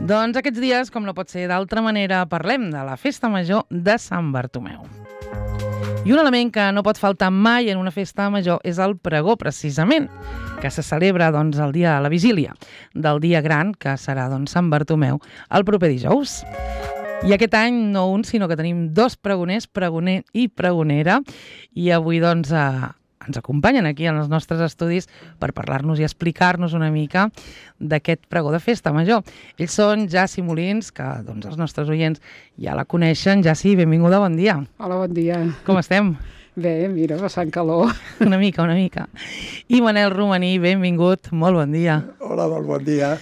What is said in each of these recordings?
Doncs aquests dies, com no pot ser d'altra manera, parlem de la Festa Major de Sant Bartomeu. I un element que no pot faltar mai en una festa major és el pregó, precisament, que se celebra el dia de la vigília del dia gran, que serà Sant Bartomeu, el proper dijous. I aquest any no un, sinó que tenim dos pregoners, pregoner i pregonera, i avui ens acompanyen aquí en els nostres estudis per parlar-nos i explicar-nos una mica d'aquest pregó de festa major. Ells són Jassi Molins, que els nostres oients ja la coneixen. Jassi, benvinguda, bon dia. Hola, bon dia. Com estem? Bé, mira, passant calor. Una mica. I Manel Romaní, benvingut, molt bon dia. Hola, molt bon dia.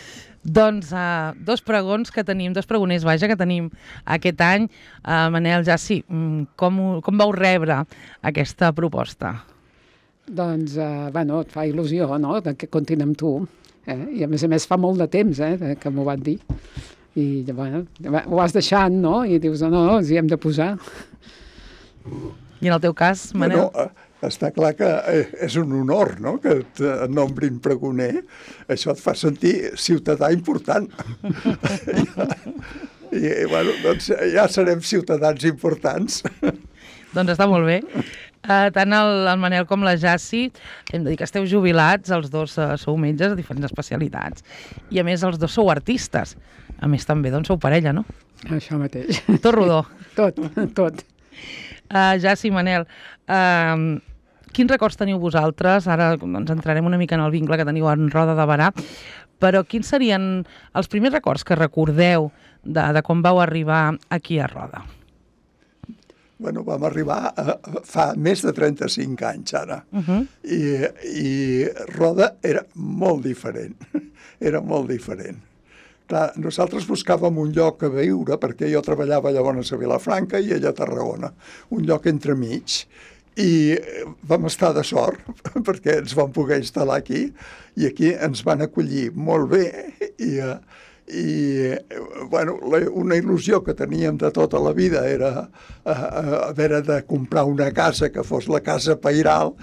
Dos pregons que tenim, dos pregoners, que tenim aquest any. Manel, Jassi, com vau rebre aquesta proposta? Doncs, et fa il·lusió, no?, que comptin amb tu. I a més fa molt de temps, que m'ho van dir. I, ho vas deixant, no?, i dius, no, ens hi hem de posar. I en el teu cas, Manel? Està clar que és un honor, no?, que et nombrin pregoner. Això et fa sentir ciutadà important. I, ja serem ciutadans importants. Doncs està molt bé. Tant el Manel com la Jassi, hem de dir que esteu jubilats, els dos sou metges de diferents especialitats, i a més els dos sou artistes. A més també, sou parella, no? Això mateix. Tot rodó. Tot. Jassi, Manel, quins records teniu vosaltres? Ara entrarem una mica en el vincle que teniu en Roda de Berà, però quins serien els primers records que recordeu de quan vau arribar aquí a Roda? Vam arribar fa més de 35 anys, ara. I Roda era molt diferent. Clar, nosaltres buscàvem un lloc a viure, perquè jo treballava llavors a Vilafranca i ella a Tarragona, un lloc entremig. I vam estar de sort, perquè ens vam poder instal·lar aquí, i aquí ens van acollir molt bé, una il·lusió que teníem de tota la vida era haver de comprar una casa que fos la casa pairal,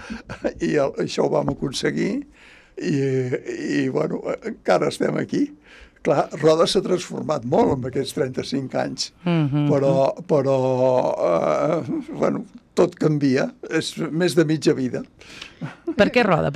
i això ho vam aconseguir, i encara estem aquí. Clar, Roda s'ha transformat molt en aquests 35 anys, però tot canvia, és més de mitja vida. Per què Roda?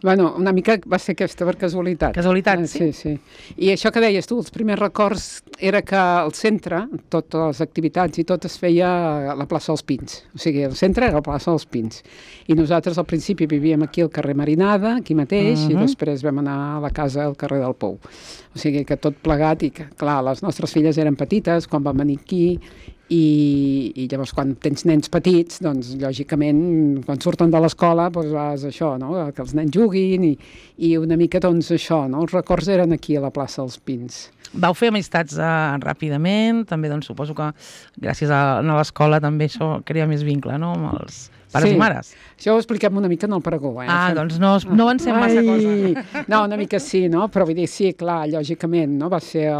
Una mica va ser aquesta per casualitat. Casualitat, sí? Sí. I això que deies tu, els primers records era que al centre, totes les activitats i tot es feia a la plaça dels Pins. O sigui, el centre era la plaça dels Pins. I nosaltres al principi vivíem aquí al carrer Marinada, aquí mateix, i després vam anar a la casa al carrer del Pou. O sigui que tot plegat, i que, clar, les nostres filles eren petites quan van venir aquí, i llavors quan tens nens petits, doncs lògicament quan surten de l'escola vas això, no?, que els nens juguin i una mica això, no?, els records eren aquí a la plaça dels Pins. Vau fer amistats ràpidament, també suposo que gràcies a l'escola també això crea més vincle, no?, amb els pares i mares. Això ho expliquem una mica en el pregó. Doncs no avancem massa cosa. No, una mica sí, no?, però vull dir, sí, clar, lògicament, no?, va ser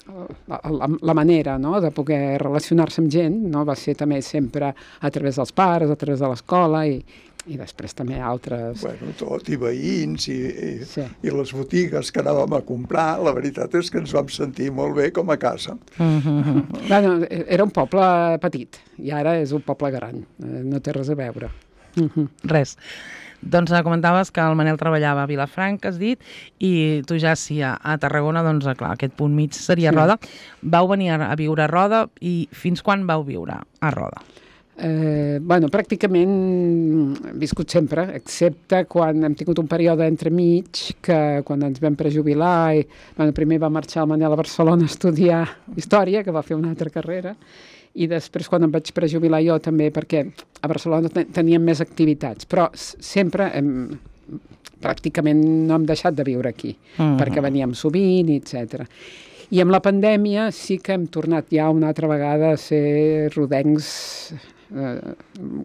la manera, no?, de poder relacionar-se amb gent, no?, va ser també sempre a través dels pares, a través de l'escola i després també altres... Tot, i veïns i les botigues que anàvem a comprar, la veritat és que ens vam sentir molt bé com a casa. Era un poble petit i ara és un poble gran, no té res a veure. Res. Doncs comentaves que el Manel treballava a Vilafranca, has dit, i tu ja a Tarragona, clar, aquest punt mig seria Roda. Vau venir a viure a Roda i fins quan vau viure a Roda? Pràcticament hem viscut sempre, excepte quan hem tingut un període entremig, que quan ens vam prejubilar, primer va marxar el Manel a Barcelona a estudiar Història, que va fer una altra carrera, i després quan em vaig prejubilar jo també, perquè a Barcelona teníem més activitats, però sempre pràcticament no hem deixat de viure aquí, perquè veníem sovint, etc. I amb la pandèmia sí que hem tornat ja una altra vegada a ser rodencs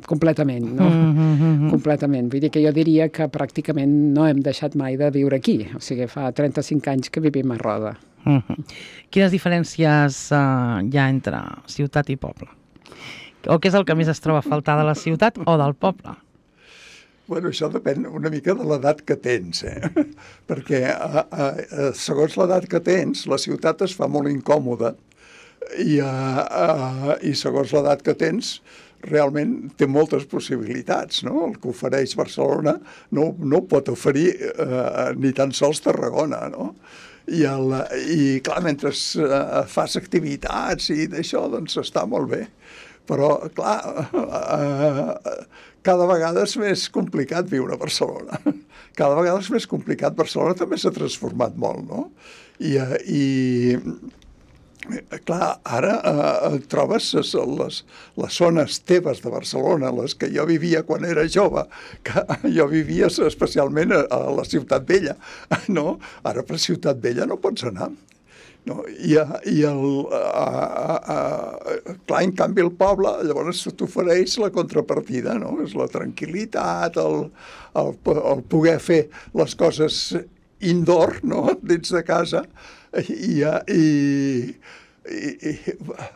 completament, no? Completament. Vull dir que jo diria que pràcticament no hem deixat mai de viure aquí, o sigui, fa 35 anys que vivim a Roda. Quines diferències hi ha entre ciutat i poble? O què és el que més es troba a faltar de la ciutat o del poble? Bueno, això depèn una mica de l'edat que tens, perquè segons l'edat que tens, la ciutat es fa molt incòmoda i segons l'edat que tens, realment té moltes possibilitats, no? El que ofereix Barcelona no pot oferir ni tan sols Tarragona, no? I clar, mentre fas activitats i d'això, doncs està molt bé. Però, clar, cada vegada és més complicat viure a Barcelona. Cada vegada és més complicat. Barcelona també s'ha transformat molt, no? I clar, ara trobes les zones teves de Barcelona, les que jo vivia quan era jove, que jo vivia especialment a la Ciutat Vella, no? Ara per Ciutat Vella no pots anar. No? Clar, en canvi el poble llavors t'ofereix la contrapartida, no? És la tranquil·litat, el poder fer les coses indoor, no? Dins de casa, i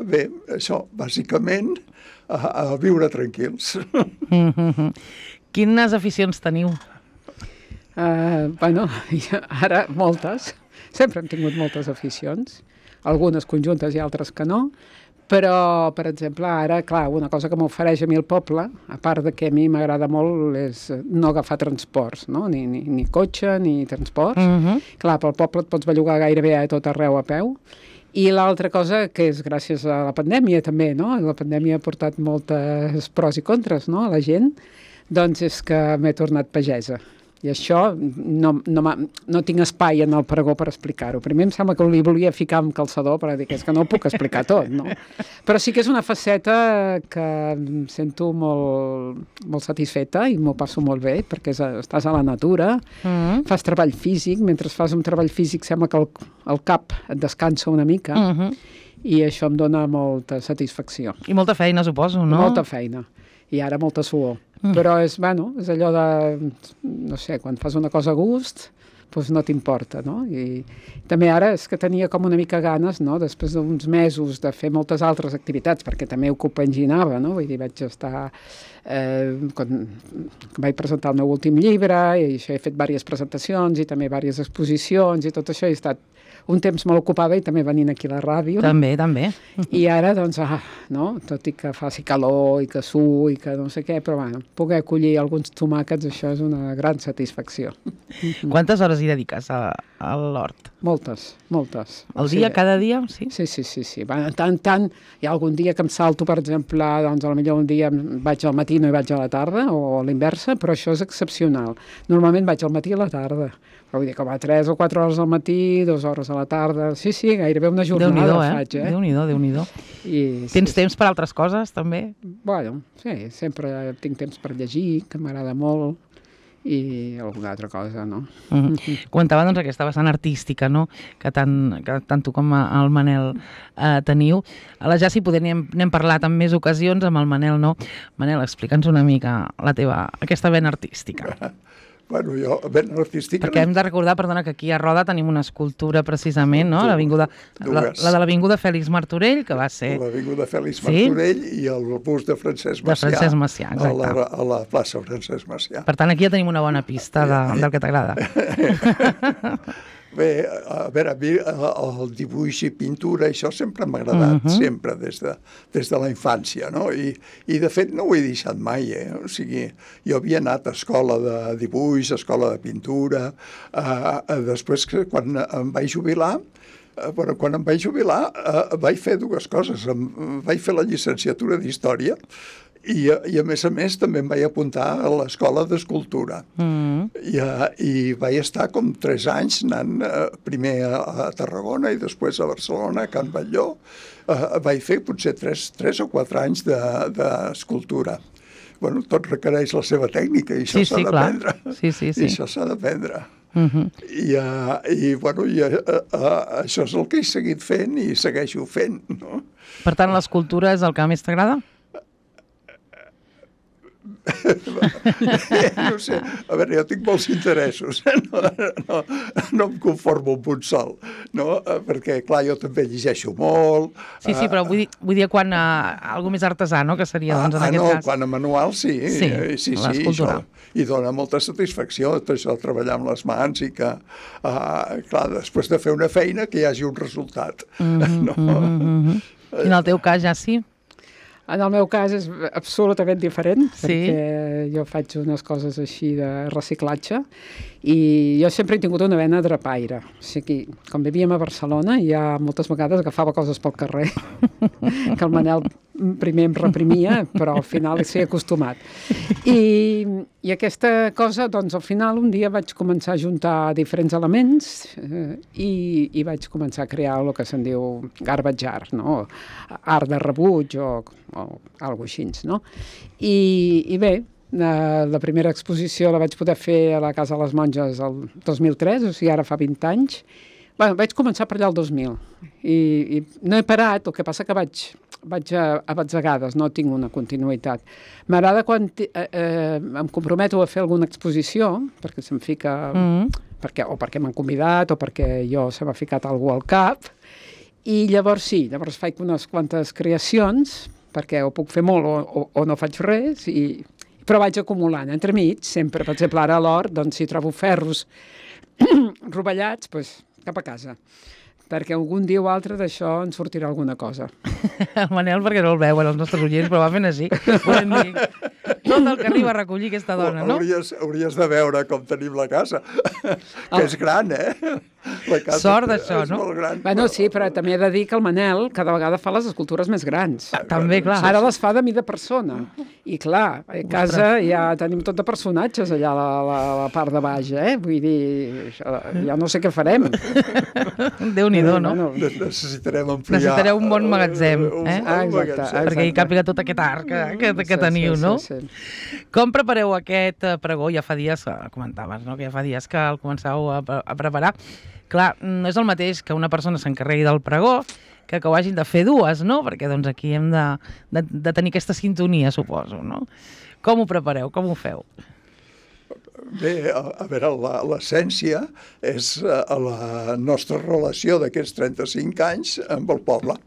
bé, això, bàsicament, a viure tranquils. Quines aficions teniu? Bueno, ara moltes. Sempre hem tingut moltes aficions, algunes conjuntes i altres que no, però, per exemple, ara, clar, una cosa que m'ofereix a mi el poble, a part de que a mi m'agrada molt, és no agafar transports, no? Ni cotxe, ni transports. Clar, pel poble et pots bellugar gairebé a tot arreu a peu. I l'altra cosa, que és gràcies a la pandèmia també, no? La pandèmia ha portat moltes pros i contres, no?, a la gent, doncs és que m'he tornat pagesa. I això no tinc espai en el pregó per explicar-ho. Primer em sembla que li volia ficar amb calçador per dir que és que no ho puc explicar tot, no? Però sí que és una faceta que em sento molt satisfeta i m'ho passo molt bé, perquè estàs a la natura, fas treball físic, mentre fas un treball físic sembla que el cap et descansa una mica, i això em dona molta satisfacció. I molta feina, suposo, no? Molta feina. I ara molta suor. Però és allò de, no sé, quan fas una cosa a gust, doncs no t'importa, no? I també ara és que tenia com una mica ganes, no?, després d'uns mesos de fer moltes altres activitats, perquè també ho compaginava, no? Vull dir, vaig estar... quan vaig presentar el meu últim llibre, i això he fet diverses presentacions i també diverses exposicions i tot això, he estat un temps molt ocupada i també venint aquí a la ràdio. També. I ara, doncs, no? Tot i que faci calor i que i que no sé què, però bueno, poder acollir alguns tomàquets, això és una gran satisfacció. Quantes hores hi dediques a l'hort? Moltes. El dia, cada dia? Sí. Sí. Tant, hi ha algun dia que em salto, per exemple, doncs potser un dia vaig al matí i no hi vaig a la tarda, o a l'inversa, però això és excepcional. Normalment vaig al matí i a la tarda. Però vull dir que va 3 o 4 hores al matí, 2 hores a la tarda... Sí, gairebé una jornada faig, Déu-n'hi-do. Tens temps per altres coses, també? Bueno, sí, sempre tinc temps per llegir, que m'agrada molt, i alguna altra cosa, no? Comentava, doncs, aquesta vessant artística, no?, que tant tu com el Manel teniu. A la Jassi n'hem parlat en més ocasions amb el Manel, no? Manel, explica'ns una mica aquesta vena artística. Bueno, jo, ben artística... Perquè hem de recordar, perdona, que aquí a Roda tenim una escultura precisament, no? La de l'Avinguda Fèlix Martorell, que va ser... L'Avinguda Fèlix Martorell i el bust de Francesc Macià. De Francesc Macià, exacte. A la plaça Francesc Macià. Per tant, aquí ja tenim una bona pista del que t'agrada. Bé, a veure, a mi el dibuix i pintura, això sempre m'ha agradat, sempre, des de la infància, no? I de fet no ho he deixat mai, O sigui, jo havia anat a escola de dibuix, a escola de pintura, després que quan em vaig jubilar, vaig fer dues coses. Vaig fer la llicenciatura d'Història i a més també em vaig apuntar a l'escola d'escultura. I vaig estar com 3 anys anant primer a Tarragona i després a Barcelona, a Can Batlló. Vaig fer potser 3 o 4 anys d'escultura. Bueno, tot requereix la seva tècnica i això s'ha d'aprendre. Sí. I això s'ha d'aprendre. I bueno, això és el que he seguit fent i segueixo fent, no? Per tant, l'escultura és el que més t'agrada? No sé, a veure, jo tinc molts interessos, no em conformo amb un sol, no? Perquè, clar, jo també llegeixo molt. Sí, però vull dir quan algú més artesà, no?, que seria, doncs, en aquest cas. Quan a manual, sí, l'escultura. I dona molta satisfacció, tot això, treballar amb les mans i que, clar, després de fer una feina, que hi hagi un resultat. I en el teu cas ja sí? En el meu cas és absolutament diferent, perquè jo faig unes coses així de reciclatge i jo sempre he tingut una vena drapaire. O sigui, quan vivíem a Barcelona, ja moltes vegades agafava coses pel carrer, que el Manel primer em reprimia, però al final s'hi ha acostumat. I aquesta cosa, doncs, al final un dia vaig començar a juntar diferents elements i vaig començar a crear el que se'n diu garbage art, no? Art de rebuig o alguna cosa així, no? I bé, la primera exposició la vaig poder fer a la Casa de les Monges el 2003, o sigui, ara fa 20 anys. Bueno, vaig començar per allà el 2000 i no he parat, el que passa que vaig a batzegades, no tinc una continuïtat. M'agrada quan em comprometo a fer alguna exposició, perquè se'm fica... o perquè m'han convidat o perquè se m'ha ficat algú al cap, i llavors llavors faig unes quantes creacions, perquè o puc fer molt o no faig res, però vaig acumulant. Entremig, sempre, per exemple, ara a l'hort, doncs, si trobo ferros rovellats, doncs cap a casa. Perquè algun dia o altre d'això en sortirà alguna cosa. El Manel, perquè no el veuen els nostres oients, però va fent així. Volem dir, tot el que arriba a recollir aquesta dona, no? Hauries de veure com tenim la casa, que és gran, La casa sort d'això, no? Molt gran, bueno, sí, però també he de dir que el Manel cada vegada fa les escultures més grans. També, clar. Ara les fa de mida persona. I clar, a casa ja tenim tot de personatges allà a la part de baix, Vull dir, ja no sé què farem. Déu-n'hi-do, no? Necessitarem ampliar... Necessitareu un bon magatzem, Exacte. Perquè hi càpiga tot aquest art que teniu, no? Sí. Com prepareu aquest pregó? Ja fa dies, comentaves, no?, que ja fa dies que el començàveu a preparar. Clar, no és el mateix que una persona s'encarregui del pregó que ho hagin de fer dues, no? Perquè doncs aquí hem de tenir aquesta sintonia, suposo, no? Com ho prepareu? Com ho feu? Bé, a veure, l'essència és la nostra relació d'aquests 35 anys amb el poble,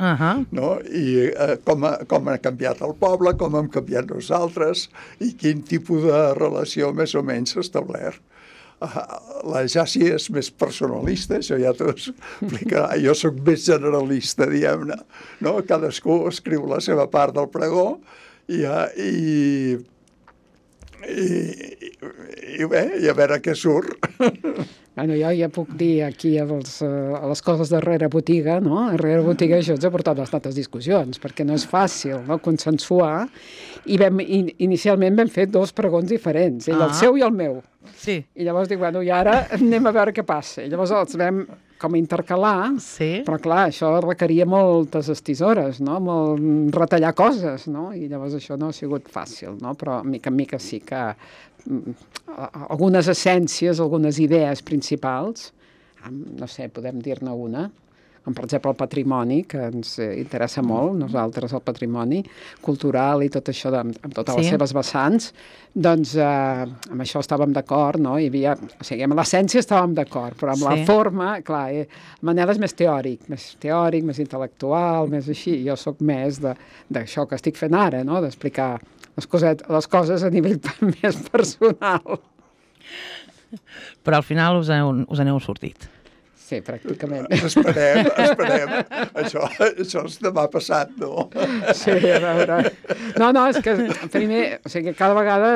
no? I com ha canviat el poble, com hem canviat nosaltres i quin tipus de relació més o menys s'ha establert. La Jaci és més personalista, això ja t'ho explicarà. Jo sóc més generalista, diguem-ne, no? Cadascú escriu la seva part del pregó i bé, i a veure què surt. Bueno, jo ja puc dir aquí a les coses darrere botiga, no? Darrere botiga això ens ha portat bastantes discussions, perquè no és fàcil, no?, consensuar. I inicialment vam fer 2 pregons diferents, el seu i el meu. Sí. I llavors dic, bueno, i ara anem a veure què passa. I llavors els vam com intercalar, però clar, això requeria moltes estisores, no?, retallar coses, no?, i llavors això no ha sigut fàcil, no?, però mica en mica sí que algunes essències, algunes idees principals, no sé, podem dir-ne una, com per exemple el patrimoni, que ens interessa molt, nosaltres, el patrimoni cultural i tot això, amb totes les seves vessants, doncs amb això estàvem d'acord, no? Hi havia, o sigui, amb l'essència estàvem d'acord, però amb la forma, clar, Manel és més teòric, més intel·lectual, més així, jo sóc més d'això que estic fent ara, no?, d'explicar les coses a nivell més personal. Però al final us n'heu sortit. Sí, pràcticament. Esperem. Això és demà passat, no? Sí, a veure. No, és que primer, o sigui, cada vegada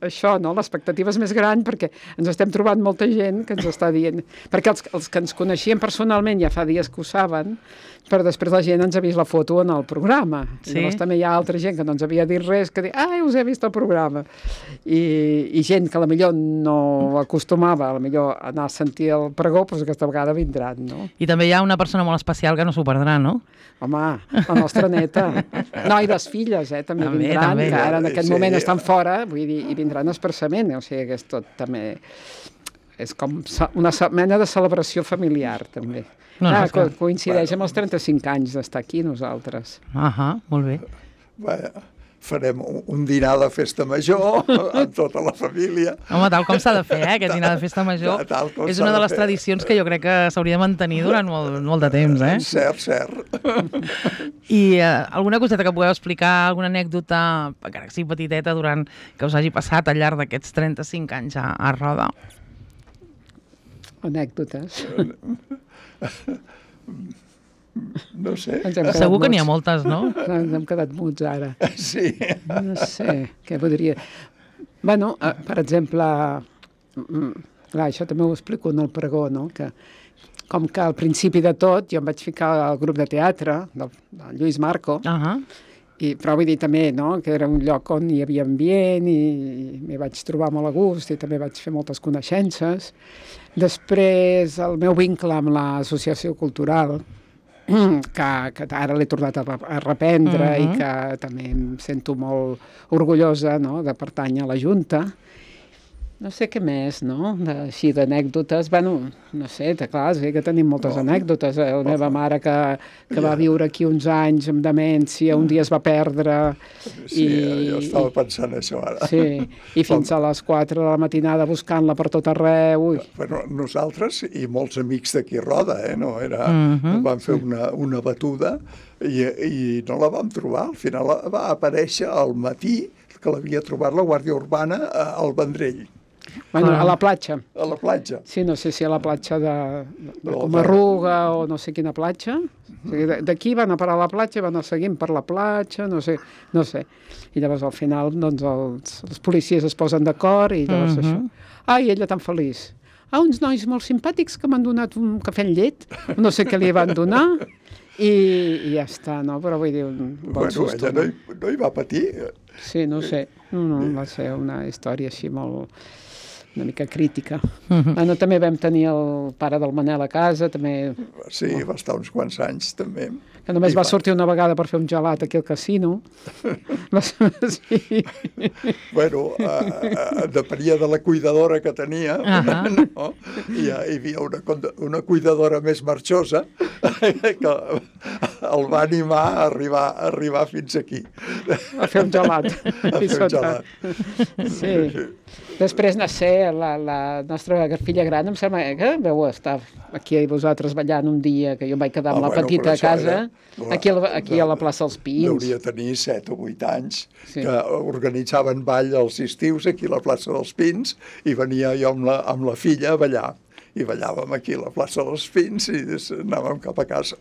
això, no? L'expectativa és més gran perquè ens estem trobant molta gent que ens està dient... Perquè els que ens coneixien personalment ja fa dies que ho saben, però després la gent ens ha vist la foto en el programa. I llavors també hi ha altra gent que no ens havia dit res, que diu, us he vist el programa. I gent que potser no acostumava a anar a sentir el pregó, doncs aquesta vegada vindran, no? I també hi ha una persona molt especial que no s'ho perdrà, no? Home, la nostra neta. No, i les filles, també vindran, que ara en aquest moment estan fora, vull dir, i vindran expressament, o sigui que és tot també... És com una mena de celebració familiar, també. Coincideix amb els 35 anys d'estar aquí, nosaltres. Molt bé. farem un dinar de festa major amb tota la família. Home, tal com s'ha de fer, aquest dinar de festa major és una de les tradicions que jo crec que s'hauria de mantenir durant molt de temps, eh? Cert. I alguna coseta que pugueu explicar, alguna anècdota, encara que sigui petiteta, que us hagi passat al llarg d'aquests 35 anys a Roda? Anècdotes. No sé. Segur que n'hi ha moltes, no? Ens hem quedat muts ara. Sí. No sé, què podria... Bueno, per exemple, clar, això també ho explico en el pregó, no? Que com que al principi de tot jo em vaig ficar al grup de teatre del Lluís Marco, però vull dir també, no?, que era un lloc on hi havia ambient i m'hi vaig trobar molt a gust i també vaig fer moltes coneixences. Després, el meu vincle amb l'associació cultural, que ara l'he tornat a reprendre i que també em sento molt orgullosa, no?, de pertànyer a la Junta. No sé què més, no?, així d'anècdotes. Bueno, no sé, clar, sí que tenim moltes anècdotes. La meva mare que va viure aquí uns anys amb demència, un dia es va perdre. Sí, jo estava pensant això ara. Sí, i fins a les 4 de la matinada buscant-la per tot arreu. Bueno, nosaltres i molts amics d'aquí Roda, no? Vam fer una batuda i no la vam trobar. Al final va aparèixer al matí que l'havia trobat la Guàrdia Urbana al Vendrell. Bueno, a la platja. A la platja. Sí, no sé si a la platja de Comarruga o no sé quina platja. O sigui, d'aquí van a parar a la platja, van a seguir per la platja, no sé. I llavors al final doncs, els policies es posen d'acord i llavors això. I ella tan feliç. Uns nois molt simpàtics que m'han donat un cafè amb llet, no sé què li van donar, i ja està, no? Però vull dir, un bon susto. Ella no hi va patir. Sí, no sé. No, va ser una història així una mica crítica. Bueno, també vam tenir el pare del Manel a casa, també... Sí, va estar uns quants anys, també. Que només va sortir una vegada per fer un gelat aquí al casino. Sí. Bueno, depenia de la cuidadora que tenia, no? I hi havia una cuidadora més marxosa que el va animar a arribar fins aquí. A fer un gelat. A fer un gelat. Sí. Després, no sé, la nostra filla gran, em sembla que veu estar aquí vosaltres ballant un dia, que jo em vaig quedar amb la petita a casa, aquí a la plaça dels Pins. Hauria tenir 7 o 8 anys, que organitzaven ball als estius aquí a la plaça dels Pins, i venia jo amb la filla a ballar. I ballàvem aquí a la plaça dels Pins i anàvem cap a casa.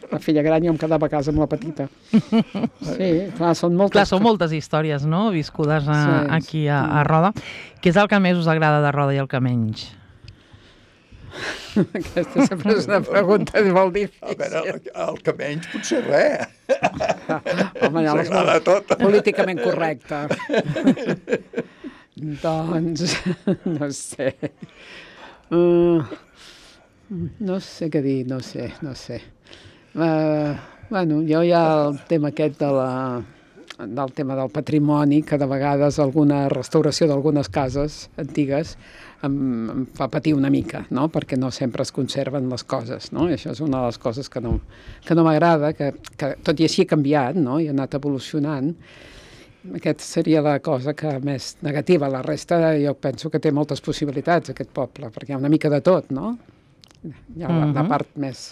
La filla gran jo em quedava a casa amb la petita. Sí, clar, són moltes històries, no?, viscudes aquí a Roda. Què és el que més us agrada de Roda i el que menys? Aquesta sempre és una pregunta molt difícil. A veure, el que menys potser res. Home, ja s'agrada tot. Políticament correcte. Doncs, no sé... no sé què dir, no sé. Bueno, jo hi ha el tema aquest del tema del patrimoni, que de vegades alguna restauració d'algunes cases antigues em fa patir una mica, no?, perquè no sempre es conserven les coses, no? I això és una de les coses que no m'agrada, que tot i així ha canviat, no?, i ha anat evolucionant. Aquesta seria la cosa que més negativa. La resta jo penso que té moltes possibilitats, aquest poble, perquè hi ha una mica de tot, no? Hi ha la part més...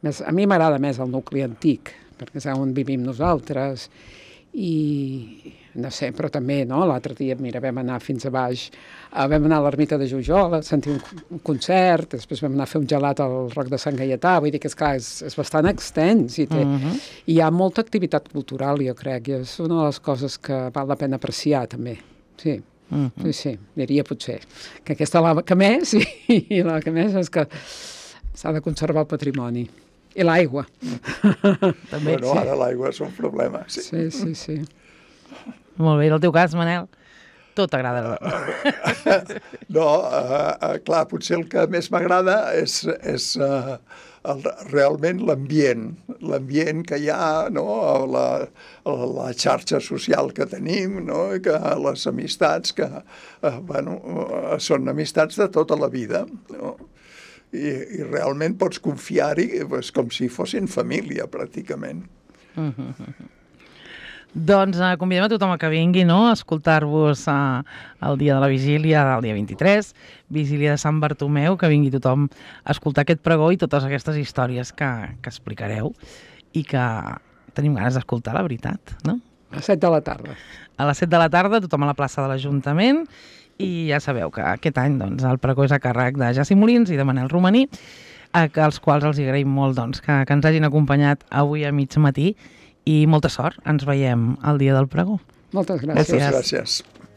A mi m'agrada més el nucli antic, perquè és on vivim nosaltres, i no sé, però també, no? L'altre dia, mira, vam anar fins a baix, vam anar a l'ermita de Jujol a sentir un concert, després vam anar a fer un gelat al Roc de Sant Gaietà, vull dir que, esclar, és bastant extens i hi ha molta activitat cultural, jo crec, i és una de les coses que val la pena apreciar, també. Sí, diria potser que aquesta la que més, i la que més és que s'ha de conservar el patrimoni. I l'aigua. També. Bueno, ara l'aigua és un problema. Sí. Molt bé, i el teu cas, Manel? Tot t'agrada. No, clar, potser el que més m'agrada és realment l'ambient que hi ha, no? La xarxa social que tenim, no? Que les amistats que són amistats de tota la vida, no? I realment pots confiar-hi com si fossin família, pràcticament. Doncs convidem a tothom que vingui, no?, a escoltar-vos el dia de la vigília, el dia 23, vigília de Sant Bartomeu, que vingui tothom a escoltar aquest pregó i totes aquestes històries que explicareu i que tenim ganes d'escoltar, la veritat, no? A les 7 de la tarda. A les 7 de la tarda, tothom a la plaça de l'Ajuntament, i ja sabeu que aquest any doncs, el pregó és a càrrec de Jaci Molins i de Manel Romaní, als quals els agraïm molt doncs, que ens hagin acompanyat avui a mig matí, i molta sort. Ens veiem el dia del pregó. Moltes gràcies. Moltes gràcies.